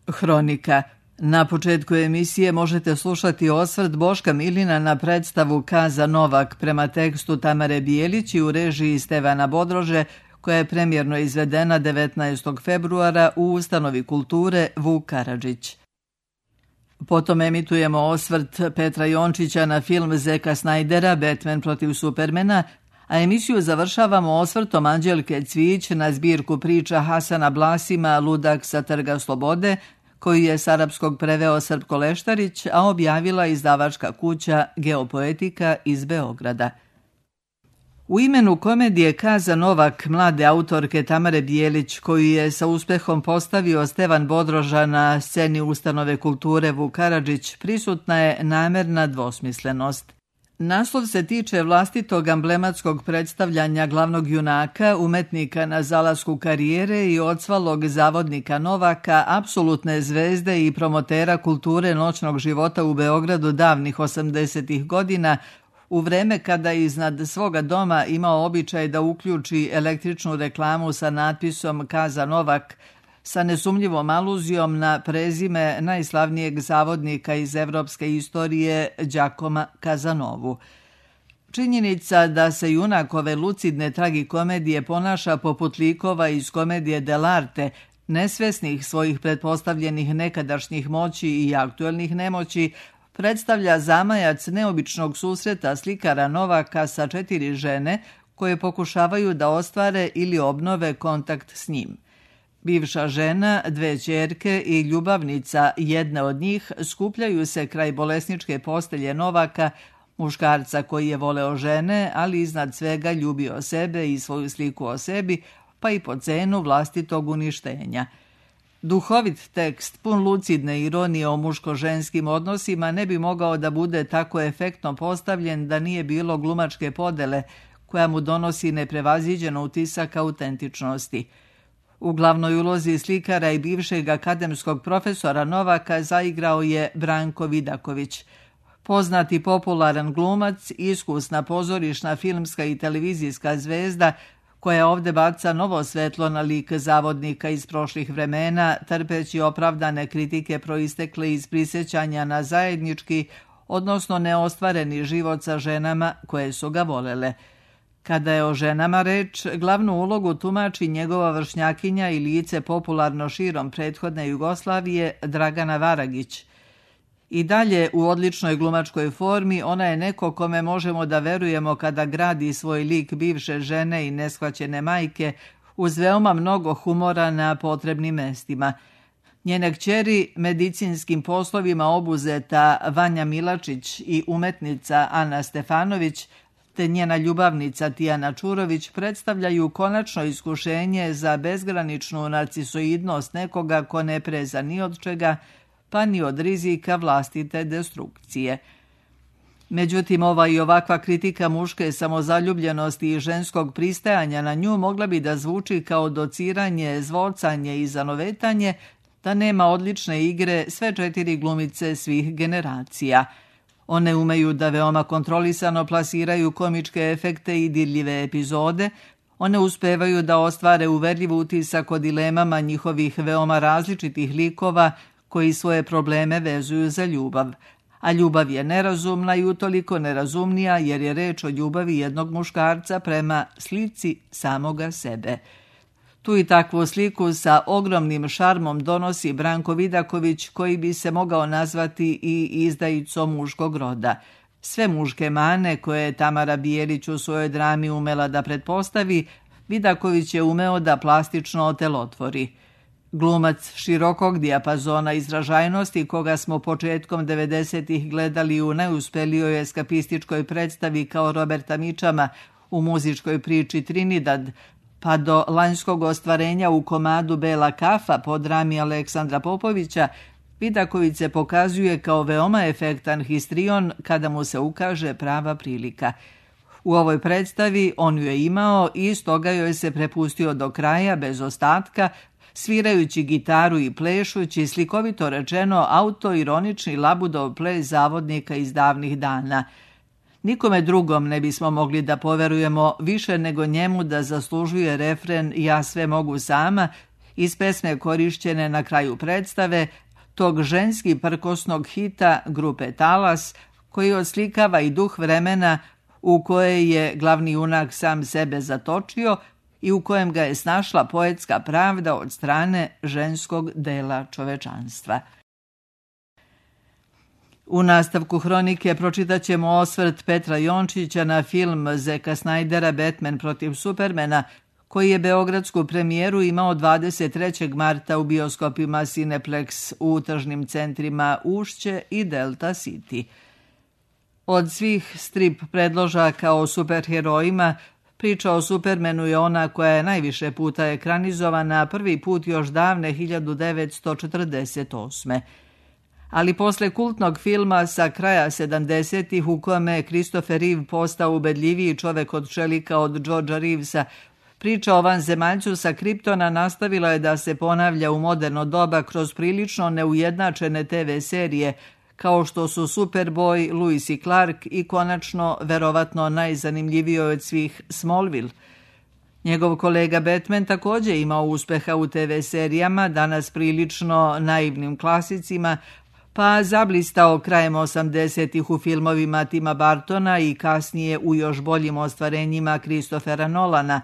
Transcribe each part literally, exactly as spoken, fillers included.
Hronika. Na početku emisije možete slušati osvrt Boška Milina na predstavu Kaza Novak prema tekstu Tamare Bijelić i u režiji Stevana Bodrože, koja je premijerno izvedena devetnaestog februara u Ustanovi kulture Vuk Karadžić. Potom emitujemo osvrt Petra Jončića na film Zeka Snajdera Batman protiv Supermana, a emisiju završavamo osvrtom Anđelke Cvijić na zbirku priča Hasana Blasima Ludak sa Trga slobode, koju je s arapskog preveo Srpko Leštarić, a objavila izdavačka kuća Geopoetika iz Beograda. U imenu komedije Kaza Novak mlade autorke Tamare Bijelić, koju je sa uspehom postavio Stevan Bodroža na sceni Ustanove kulture Vuk Karadžić, prisutna je namerna dvosmislenost. Naslov se tiče vlastitog amblematskog predstavljanja glavnog junaka, umetnika na zalasku karijere i odsvalog zavodnika Novaka, apsolutne zvezde i promotera kulture noćnog života u Beogradu davnih osamdesetih godina, u vreme kada je iznad svoga doma imao običaj da uključi električnu reklamu sa natpisom Kaza Novak, sa nesumnjivom aluzijom na prezime najslavnijeg zavodnika iz evropske istorije Đakoma Kazanovu. Činjenica da se junak ove lucidne tragikomedije ponaša poput likova iz komedije dell'arte, nesvesnih svojih pretpostavljenih nekadašnjih moći i aktuelnih nemoći, predstavlja zamajac neobičnog susreta slikara Novaka sa četiri žene koje pokušavaju da ostvare ili obnove kontakt s njim. Bivša žena, dve ćerke i ljubavnica jedne od njih skupljaju se kraj bolesničke postelje Novaka, muškarca koji je voleo žene, ali iznad svega ljubio sebe i svoju sliku o sebi, pa i po cenu vlastitog uništenja. Duhovit tekst, pun lucidne ironije o muško-ženskim odnosima, ne bi mogao da bude tako efektno postavljen da nije bilo glumačke podele, koja mu donosi neprevaziđen utisak autentičnosti. U glavnoj ulozi slikara i bivšeg akademskog profesora Novaka zaigrao je Branko Vidaković. Poznati popularan glumac, iskusna pozorišna, filmska i televizijska zvezda, koja ovde baca novo svetlo na lik zavodnika iz prošlih vremena, trpeći opravdane kritike proistekle iz prisjećanja na zajednički, odnosno neostvareni život sa ženama koje su ga volele. Kada je o ženama reč, glavnu ulogu tumači njegova vršnjakinja i lice popularno širom prethodne Jugoslavije Dragana Varagić. I dalje u odličnoj glumačkoj formi ona je neko kome možemo da verujemo kada gradi svoj lik bivše žene i neshvaćene majke uz veoma mnogo humora na potrebnim mestima. Njene kćeri, medicinskim poslovima obuzeta Vanja Milačić i umetnica Ana Stefanović, te njena ljubavnica Tijana Čurović predstavljaju konačno iskušenje za bezgraničnu narcisoidnost nekoga ko ne preza ni od čega, pa ni od rizika vlastite destrukcije. Međutim, ova i ovakva kritika muške samozaljubljenosti i ženskog pristajanja na nju mogla bi da zvuči kao dociranje, zvocanje i zanovetanje, da nema odlične igre sve četiri glumice svih generacija. One umeju da veoma kontrolisano plasiraju komičke efekte i dirljive epizode, one uspevaju da ostvare uverljiv utisak o dilemama njihovih veoma različitih likova koji svoje probleme vezuju za ljubav. A ljubav je nerazumna i utoliko nerazumnija jer je reč o ljubavi jednog muškarca prema slici samoga sebe. Tu i takvu sliku sa ogromnim šarmom donosi Branko Vidaković, koji bi se mogao nazvati i izdajicom muškog roda. Sve muške mane koje je Tamara Bijelić u svojoj drami umela da pretpostavi, Vidaković je umeo da plastično otelotvori. Glumac širokog dijapazona izražajnosti, koga smo početkom devedesetih gledali u najuspelijoj eskapističkoj predstavi kao Roberta Mičama u muzičkoj priči Trinidad, pa do lanjskog ostvarenja u komadu Bela kafa po drami Aleksandra Popovića, Vidaković se pokazuje kao veoma efektan histrion kada mu se ukaže prava prilika. U ovoj predstavi on ju je imao i stoga joj se prepustio do kraja bez ostatka, svirajući gitaru i plešući, slikovito rečeno, autoironični labudov ples zavodnika iz davnih dana. Nikome drugom ne bismo mogli da poverujemo više nego njemu da zaslužuje refren "Ja sve mogu sama", iz pesme korišćene na kraju predstave, tog ženski prkosnog hita grupe Talas, koji odslikava i duh vremena u koje je glavni junak sam sebe zatočio i u kojem ga je snašla poetska pravda od strane ženskog dela čovečanstva. U nastavku hronike pročitat ćemo osvrt Petra Jončića na film Zeka Snydera Batman protiv Supermana, koji je beogradsku premijeru imao dvadeset trećeg marta u bioskopima Cineplex u tržnim centrima Ušće i Delta City. Od svih strip predložaka o superherojima, priča o Supermanu je ona koja je najviše puta ekranizovana, prvi put još davne hiljadu devetsto četrdeset osme. Ali posle kultnog filma sa kraja sedamdesetih u kome je Christopher Reeve postao ubedljiviji čovek od čelika od Georgea Reevesa, priča o vanzemaljcu sa Kriptona nastavila je da se ponavlja u moderno doba kroz prilično neujednačene te ve serije, kao što su Superboy, Lewis i Clark i konačno, verovatno najzanimljiviji od svih, Smallville. Njegov kolega Batman također imao uspeha u te ve serijama, danas prilično naivnim klasicima, pa zablistao krajem osamdesetih u filmovima Tima Burtona i kasnije u još boljim ostvarenjima Christophera Nolana,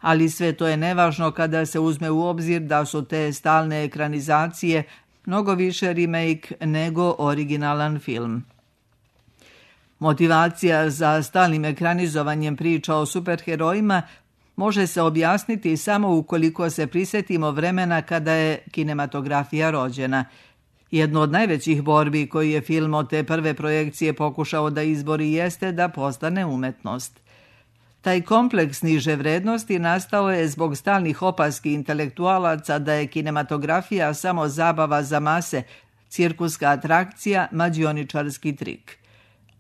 ali sve to je nevažno kada se uzme u obzir da su te stalne ekranizacije mnogo više remake nego originalan film. Motivacija za stalnim ekranizovanjem priča o superherojima može se objasniti samo ukoliko se prisjetimo vremena kada je kinematografija rođena. Jedno od najvećih borbi koji je film od te prve projekcije pokušao da izbori jeste da postane umetnost. Taj kompleks niže vrednosti nastao je zbog stalnih opaski intelektualaca da je kinematografija samo zabava za mase, cirkuska atrakcija, mađioničarski trik.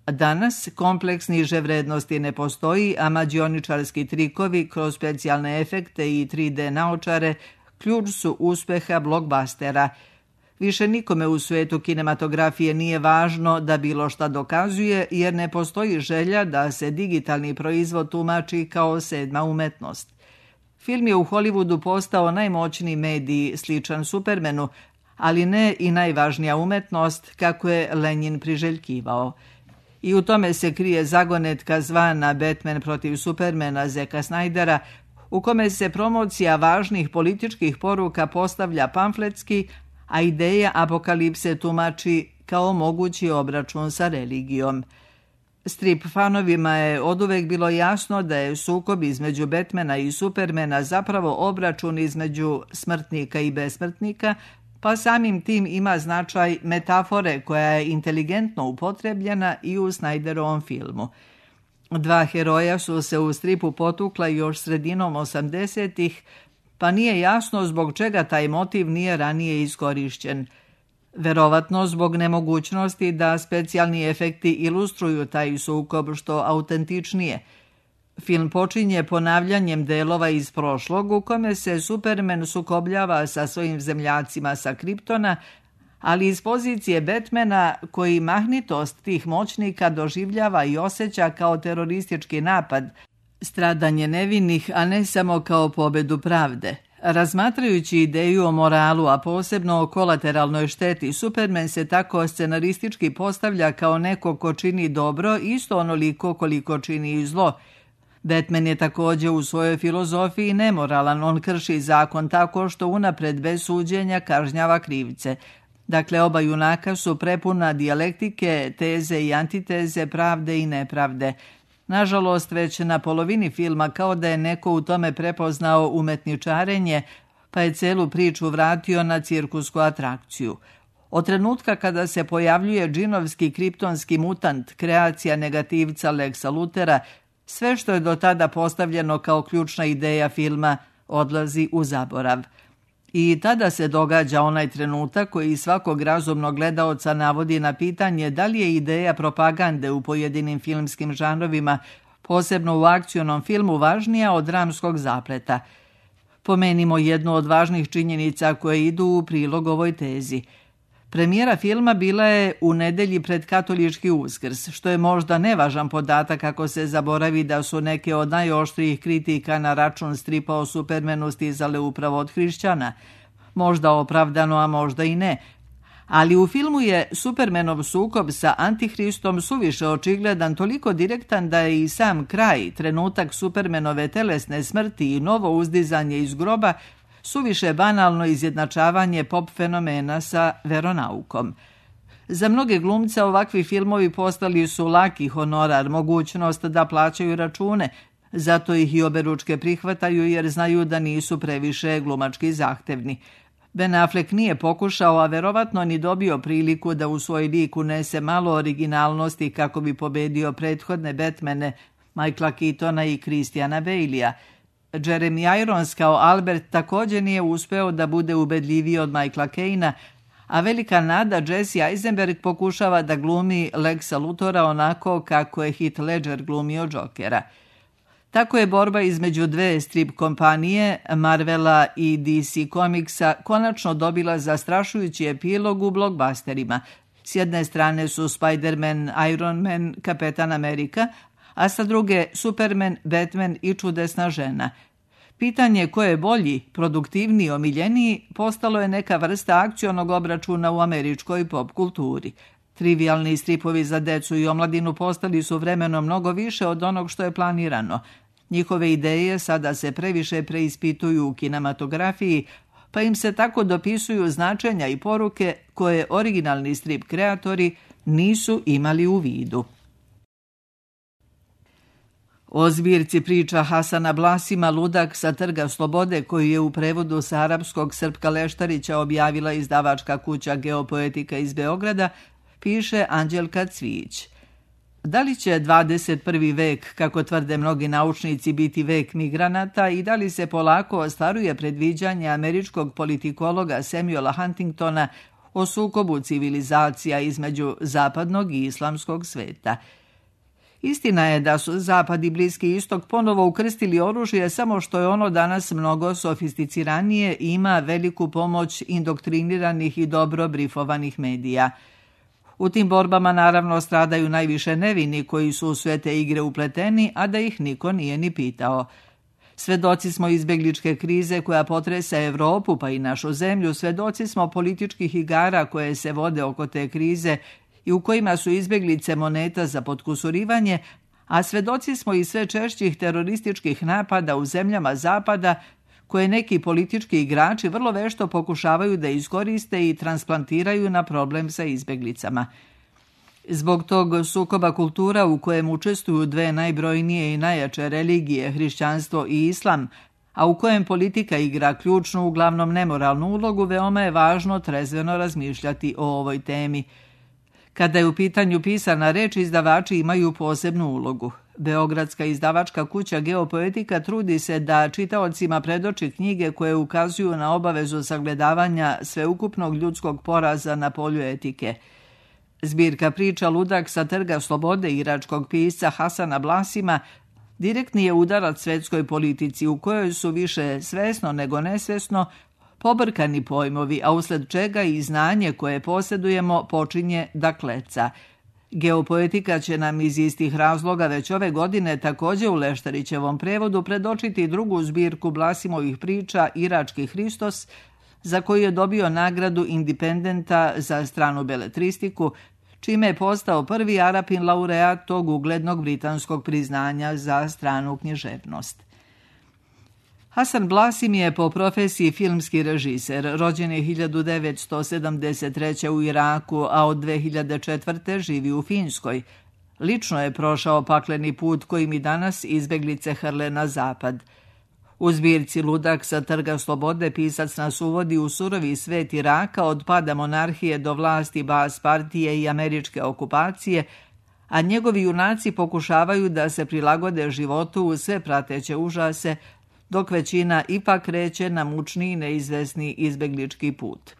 Danas kompleks niže vrednosti ne postoji, a mađioničarski trikovi kroz specijalne efekte i tri de naočare ključ su uspeha blockbustera. Više nikome u svijetu kinematografije nije važno da bilo šta dokazuje, jer ne postoji želja da se digitalni proizvod tumači kao sedma umetnost. Film je u Hollywoodu postao najmoćniji medij sličan Supermanu, ali ne i najvažnija umetnost kako je Lenjin priželjkivao. I u tome se krije zagonetka zvana Batman protiv Supermana Zeka Snydera, u kome se promocija važnih političkih poruka postavlja pamfletski, a ideja apokalipse tumači kao mogući obračun sa religijom. Strip fanovima je oduvek bilo jasno da je sukob između Batmana i Supermana zapravo obračun između smrtnika i besmrtnika, pa samim tim ima značaj metafore koja je inteligentno upotrebljena i u Snyderovom filmu. Dva heroja su se u stripu potukla još sredinom osamdesetih, pa nije jasno zbog čega taj motiv nije ranije iskorišćen. Verovatno zbog nemogućnosti da specijalni efekti ilustruju taj sukob što autentičnije. Film počinje ponavljanjem delova iz prošlog u kome se Superman sukobljava sa svojim zemljacima sa Kriptona, ali iz pozicije Batmana koji mahnitost tih moćnika doživljava i osjeća kao teroristički napad, stradanje nevinih, a ne samo kao pobedu pravde. Razmatrajući ideju o moralu, a posebno o kolateralnoj šteti, Superman se tako scenaristički postavlja kao neko ko čini dobro isto onoliko koliko čini i zlo. Batman je također u svojoj filozofiji nemoralan, on krši zakon tako što unapred bez suđenja kažnjava krivce. Dakle, oba junaka su prepuna dijalektike, teze i antiteze, pravde i nepravde. Nažalost, već na polovini filma kao da je neko u tome prepoznao umetničarenje, pa je celu priču vratio na cirkusku atrakciju. Od trenutka kada se pojavljuje džinovski kriptonski mutant, kreacija negativca Lexa Luthera, sve što je do tada postavljeno kao ključna ideja filma odlazi u zaborav. I tada se događa onaj trenutak koji svakog razumnog gledaoca navodi na pitanje da li je ideja propagande u pojedinim filmskim žanrovima, posebno u akcionom filmu, važnija od dramskog zapleta. Pomenimo jednu od važnih činjenica koje idu u prilog ovoj tezi. Premijera filma bila je u nedelji pred katolički Uskrs, što je možda nevažan podatak ako se zaboravi da su neke od najoštrijih kritika na račun stripa o Supermanu stizale upravo od hrišćana. Možda opravdano, a možda i ne. Ali u filmu je Supermanov sukob sa Antihristom suviše očigledan, toliko direktan da je i sam kraj, trenutak Supermanove telesne smrti i novo uzdizanje iz groba, suviše banalno izjednačavanje pop fenomena sa veronaukom. Za mnoge glumce ovakvi filmovi postali su laki honorar, mogućnost da plaćaju račune, zato ih i oberučke prihvataju jer znaju da nisu previše glumački zahtevni. Ben Affleck nije pokušao, a verovatno ni dobio priliku da u svoj lik unese malo originalnosti kako bi pobedio prethodne Batmane, Michaela Keatona i Christiana Baleya. Jeremy Irons kao Albert također nije uspeo da bude ubedljiviji od Michaela Caina, a velika nada Jesse Eisenberg pokušava da glumi Lexa Luthora onako kako je Heath Ledger glumio Jokera. Tako je borba između dve strip kompanije, Marvela i D C Comicsa, konačno dobila zastrašujući epilog u blockbusterima. S jedne strane su Spider-Man, Iron Man, Kapetan Amerika, a sa druge Superman, Batman i Čudesna žena. Pitanje ko je bolji, produktivniji, omiljeniji postalo je neka vrsta akcionog obračuna u američkoj pop kulturi. Trivialni stripovi za decu i omladinu postali su vremenom mnogo više od onog što je planirano. Njihove ideje sada se previše preispituju u kinematografiji, pa im se tako dopisuju značenja i poruke koje originalni strip kreatori nisu imali u vidu. O zbirci priča Hasana Blasima Ludak sa Trga slobode, koju je u prevodu sa arapskog Srpka Leštarića objavila izdavačka kuća Geopoetika iz Beograda, piše Anđelka Cvijić. Da li će dvadeset prvi vek, kako tvrde mnogi naučnici, biti vek migranata i da li se polako ostvaruje predviđanje američkog politikologa Samuela Huntingtona o sukobu civilizacija između zapadnog i islamskog sveta? Istina je da su Zapad i Bliski istok ponovo ukrstili oružje, samo što je ono danas mnogo sofisticiranije i ima veliku pomoć indoktriniranih i dobro brifovanih medija. U tim borbama naravno stradaju najviše nevini koji su u sve te igre upleteni, a da ih niko nije ni pitao. Svedoci smo izbegličke krize koja potresa Evropu pa i našu zemlju, svedoci smo političkih igara koje se vode oko te krize i u kojima su izbeglice moneta za potkusurivanje, a svedoci smo i sve češćih terorističkih napada u zemljama Zapada koje neki politički igrači vrlo vešto pokušavaju da iskoriste i transplantiraju na problem sa izbeglicama. Zbog tog sukoba kultura u kojem učestvuju dve najbrojnije i najjače religije, hrišćanstvo i islam, a u kojem politika igra ključnu, uglavnom nemoralnu ulogu, veoma je važno trezveno razmišljati o ovoj temi. Kada je u pitanju pisana reč, izdavači imaju posebnu ulogu. Beogradska izdavačka kuća Geopoetika trudi se da čitaocima predoči knjige koje ukazuju na obavezu sagledavanja sveukupnog ljudskog poraza na polju etike. Zbirka priča Ludak sa Trga slobode iračkog pisca Hasana Blasima direktni je udarac svetskoj politici u kojoj su više svesno nego nesvesno pobrkani pojmovi, a usled čega i znanje koje posjedujemo počinje da kleca. Geopoetika će nam iz istih razloga već ove godine također u Leštarićevom prevodu predočiti drugu zbirku Blasimovih priča Irački Hristos, za koju je dobio nagradu Independenta za stranu beletristiku, čime je postao prvi Arapin laureat tog uglednog britanskog priznanja za stranu književnost. Hasan Blasim je po profesiji filmski režiser, rođen je hiljadu devetsto sedamdeset treće. u Iraku, a od dve hiljade četvrte. živi u Finskoj. Lično je prošao pakleni put kojim i danas izbeglice hrle na zapad. U zbirci Ludak sa Trga slobode pisac nas uvodi u surovi svet Iraka od pada monarhije do vlasti Baas partije i američke okupacije, a njegovi junaci pokušavaju da se prilagode životu u sve prateće užase, dok većina ipak kreće na mučni i neizvesni izbeglički put.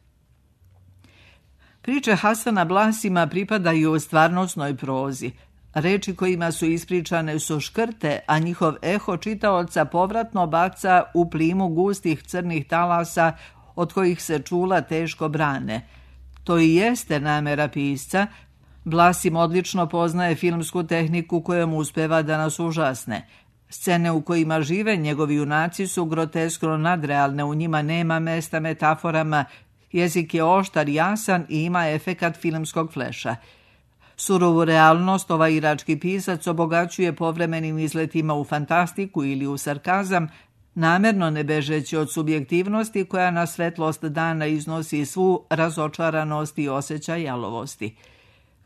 Priče Hasana Blasima pripadaju stvarnosnoj prozi. Reči kojima su ispričane su škrte, a njihov eho čitaoca povratno baca u plimu gustih crnih talasa od kojih se čula teško brane. To i jeste namera pisca. Blasim odlično poznaje filmsku tehniku kojom uspeva da nas užasne. Scene u kojima žive njegovi junaci su groteskno nadrealne, u njima nema mesta metaforama, jezik je oštar, jasan i ima efekat filmskog fleša. Surovu realnost ovaj irački pisac obogaćuje povremenim izletima u fantastiku ili u sarkazam, namerno ne bežeći od subjektivnosti koja na svetlost dana iznosi svu razočaranost i osjećaj jalovosti.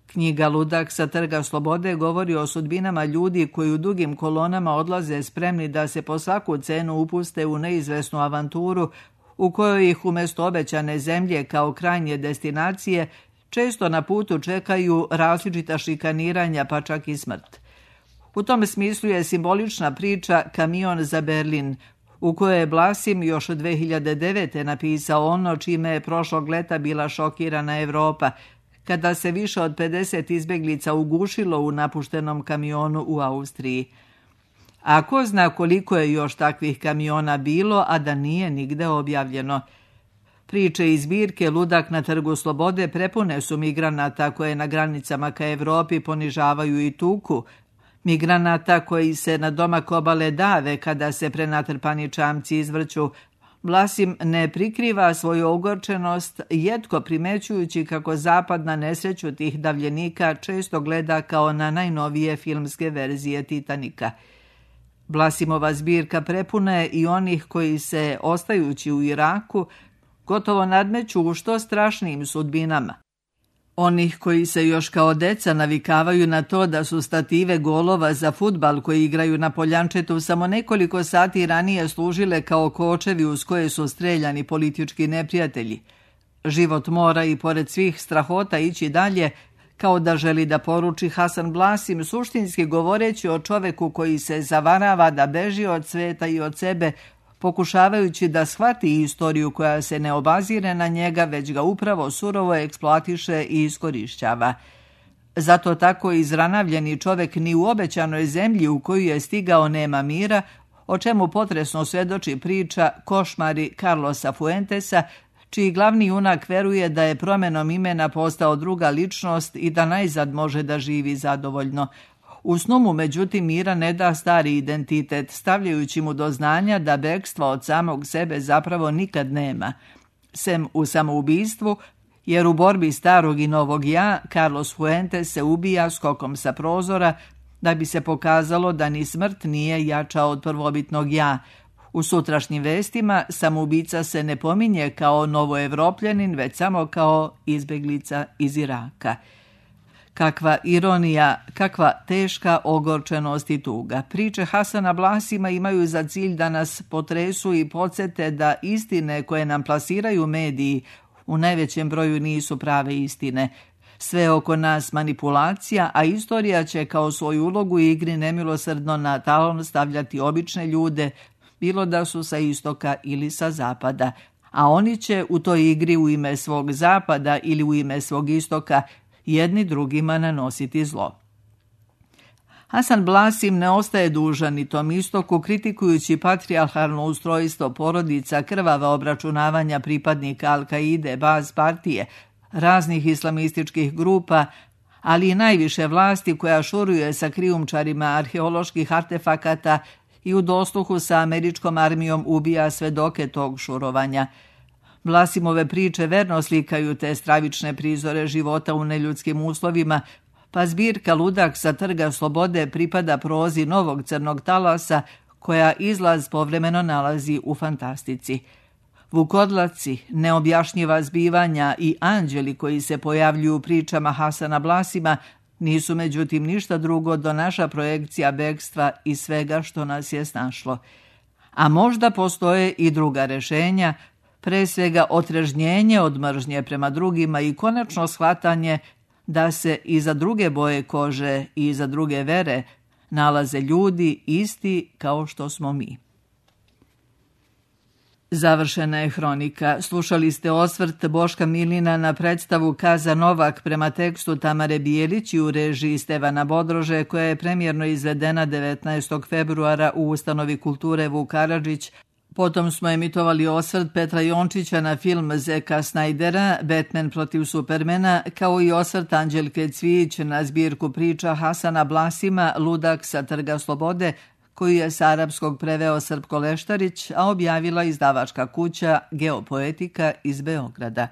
Knjiga Ludak sa Trga slobode govori o sudbinama ljudi koji u dugim kolonama odlaze spremni da se po svaku cenu upuste u neizvesnu avanturu u kojoj ih umjesto obećane zemlje kao krajnje destinacije često na putu čekaju različita šikaniranja pa čak i smrt. U tom smislu je simbolična priča Kamion za Berlin, u kojoj je Blasim još dve hiljade devete. napisao ono čime je prošlog leta bila šokirana Evropa, kada se više od pedeset izbjeglica ugušilo u napuštenom kamionu u Austriji. A ko zna koliko je još takvih kamiona bilo, a da nije nigde objavljeno. Priče iz zbirke Ludak na Trgu slobode prepune su migranata koje na granicama ka Evropi ponižavaju i tuku, migranata koji se na domak obale dave kada se prenatrpani čamci izvrću. Blasim ne prikriva svoju ogorčenost, jetko primećujući kako zapad na nesreću tih davljenika često gleda kao na najnovije filmske verzije Titanika. Blasimova zbirka prepuna je i onih koji se, ostajući u Iraku, gotovo nadmeću u što strašnijim sudbinama. Onih koji se još kao deca navikavaju na to da su stative golova za fudbal koji igraju na Poljančetu samo nekoliko sati ranije služile kao kočevi uz koje su streljani politički neprijatelji. Život mora i pored svih strahota ići dalje, kao da želi da poruči Hasan Blasim, suštinski govoreći o čoveku koji se zavarava da beži od sveta i od sebe, pokušavajući da shvati istoriju koja se ne obazire na njega, već ga upravo surovo eksploatiše i iskorišćava. Zato tako izranavljeni čovek ni u obećanoj zemlji u koju je stigao nema mira, o čemu potresno svjedoči priča Košmari Carlosa Fuentesa, čiji glavni junak veruje da je promjenom imena postao druga ličnost i da najzad može da živi zadovoljno. U snu mu, međutim, mira ne da stari identitet, stavljajući mu do znanja da bekstva od samog sebe zapravo nikad nema. Sem u samoubistvu, jer u borbi starog i novog ja, Carlos Fuentes se ubija skokom sa prozora, da bi se pokazalo da ni smrt nije jača od prvobitnog ja. U sutrašnjim vestima samoubica se ne pominje kao novoevropljanin, već samo kao izbjeglica iz Iraka. Kakva ironija, kakva teška ogorčenost i tuga. Priče Hasana Blasima imaju za cilj da nas potresu i podsjete da istine koje nam plasiraju mediji u najvećem broju nisu prave istine. Sve oko nas manipulacija, a istorija će kao svoju ulogu u igri nemilosrdno na talon stavljati obične ljude, bilo da su sa istoka ili sa zapada. A oni će u toj igri u ime svog zapada ili u ime svog istoka jedni drugima nanositi zlo. Hasan Blasim ne ostaje dužan ni tom istoku, kritikujući patrijarhalno ustrojstvo porodica, krvava obračunavanja pripadnika Al-Kaide, Baz partije, raznih islamističkih grupa, ali i najviše vlasti koja šuruje sa krijumčarima arheoloških artefakata i u dosluhu sa američkom armijom ubija svedoke tog šurovanja. Blasimove priče verno slikaju te stravične prizore života u neljudskim uslovima, pa zbirka Ludak sa Trga slobode pripada prozi novog crnog talasa, koja izlaz povremeno nalazi u fantastici. Vukodlaci, neobjašnjiva zbivanja i anđeli koji se pojavljuju u pričama Hasana Blasima nisu međutim ništa drugo do naša projekcija bekstva i svega što nas je snašlo. A možda postoje i druga rešenja, pre svega otrežnjenje od mržnje prema drugima i konačno shvatanje da se i za druge boje kože i za druge vere nalaze ljudi isti kao što smo mi. Završena je hronika. Slušali ste osvrt Boška Milina na predstavu Kaza Novak prema tekstu Tamare Bijelić i u režiji Stevana Bodrože, koja je premijerno izvedena devetnaestog februara u Ustanovi kulture Vuk Karadžić Potom smo emitovali osvrt Petra Jončića na film Zeka Snajdera, Batman protiv Supermana, kao i osvrt Anđelke Cvijić na zbirku priča Hasana Blasima Ludak sa Trga Slobode, koju je s arapskog preveo Srpko Leštarić, a objavila izdavačka kuća Geopoetika iz Beograda.